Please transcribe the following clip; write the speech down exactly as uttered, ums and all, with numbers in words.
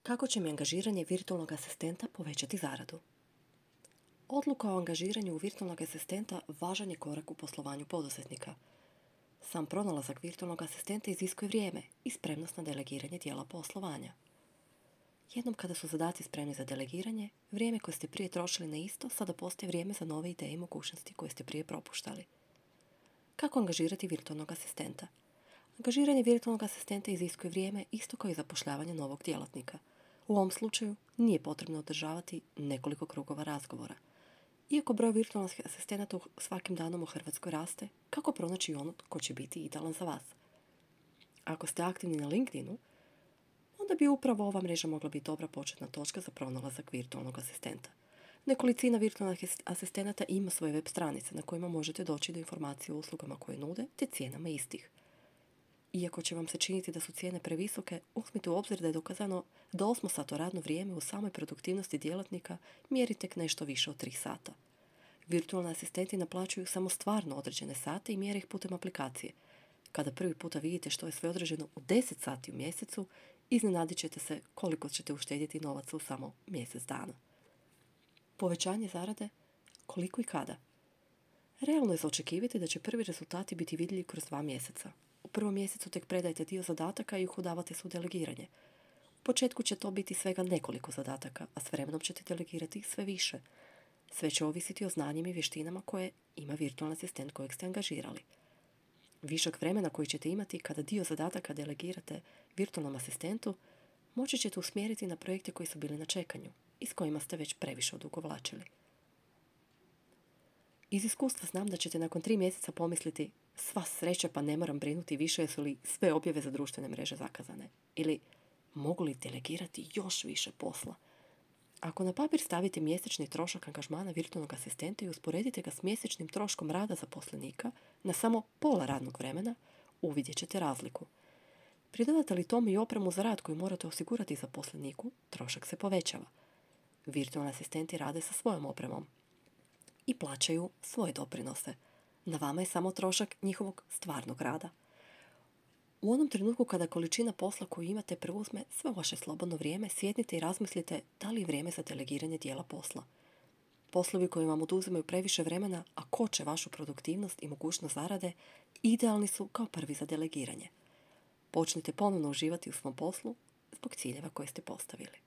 Kako će mi angažiranje virtualnog asistenta povećati zaradu? Odluka o angažiranju virtualnog asistenta važan je korak u poslovanju poduzetnika. Sam pronalazak virtualnog asistenta iziskuje vrijeme i spremnost na delegiranje dijela poslovanja. Jednom kada su zadaci spremni za delegiranje, vrijeme koje ste prije trošili na isto sada postaje vrijeme za nove ideje i mogućnosti koje ste prije propuštali. Kako angažirati virtualnog asistenta? Angažiranje virtualnog asistenta iziskuje vrijeme isto kao i zapošljavanje novog djelatnika. U ovom slučaju nije potrebno održavati nekoliko krugova razgovora. Iako broj virtualnih asistenata svakim danom u Hrvatskoj raste, kako pronaći ono ko će biti idealan za vas? Ako ste aktivni na LinkedInu, onda bi upravo ova mreža mogla biti dobra početna točka za pronalazak virtualnog asistenta. Nekolicina virtualnih asistenata ima svoje web stranice na kojima možete doći do informacije o uslugama koje nude te cijenama istih. Iako će vam se činiti da su cijene previsoke, uzmite u obzir da je dokazano da osmosato radno vrijeme u samoj produktivnosti djelatnika mjeri tek nešto više od tri sata. Virtualni asistenti naplaćuju samo stvarno određene sate i mjere ih putem aplikacije. Kada prvi puta vidite što je sve određeno u deset sati u mjesecu, iznenadit ćete se koliko ćete uštedjeti novaca u samo mjesec dana. Povećanje zarade, koliko i kada? Realno je za očekivati da će prvi rezultati biti vidljivi kroz dva mjeseca. U prvom mjesecu tek predajte dio zadataka i uhodavate se u delegiranje. U početku će to biti svega nekoliko zadataka, a s vremenom ćete delegirati sve više. Sve će ovisiti o znanjima i vještinama koje ima virtualni asistent kojeg ste angažirali. Višak vremena koji ćete imati kada dio zadataka delegirate virtualnom asistentu, moći ćete usmjeriti na projekte koji su bili na čekanju i s kojima ste već previše odugovlačili. Iz iskustva znam da ćete nakon tri mjeseca pomisliti sva sreća pa ne moram brinuti više jesu li sve objave za društvene mreže zakazane ili mogu li delegirati još više posla. Ako na papir stavite mjesečni trošak angažmana virtualnog asistenta i usporedite ga s mjesečnim troškom rada zaposlenika na samo pola radnog vremena, uvidjet ćete razliku. Pridodate li tome i opremu za rad koju morate osigurati zaposleniku, trošak se povećava. Virtualni asistenti rade sa svojom opremom i plaćaju svoje doprinose. Na vama je samo trošak njihovog stvarnog rada. U onom trenutku kada količina posla koju imate preuzme sve vaše slobodno vrijeme, sjednite i razmislite da li je vrijeme za delegiranje dijela posla. Poslovi koji vam oduzimaju previše vremena, a koče vašu produktivnost i mogućnost zarade, idealni su kao prvi za delegiranje. Počnite ponovno uživati u svom poslu zbog ciljeva koje ste postavili.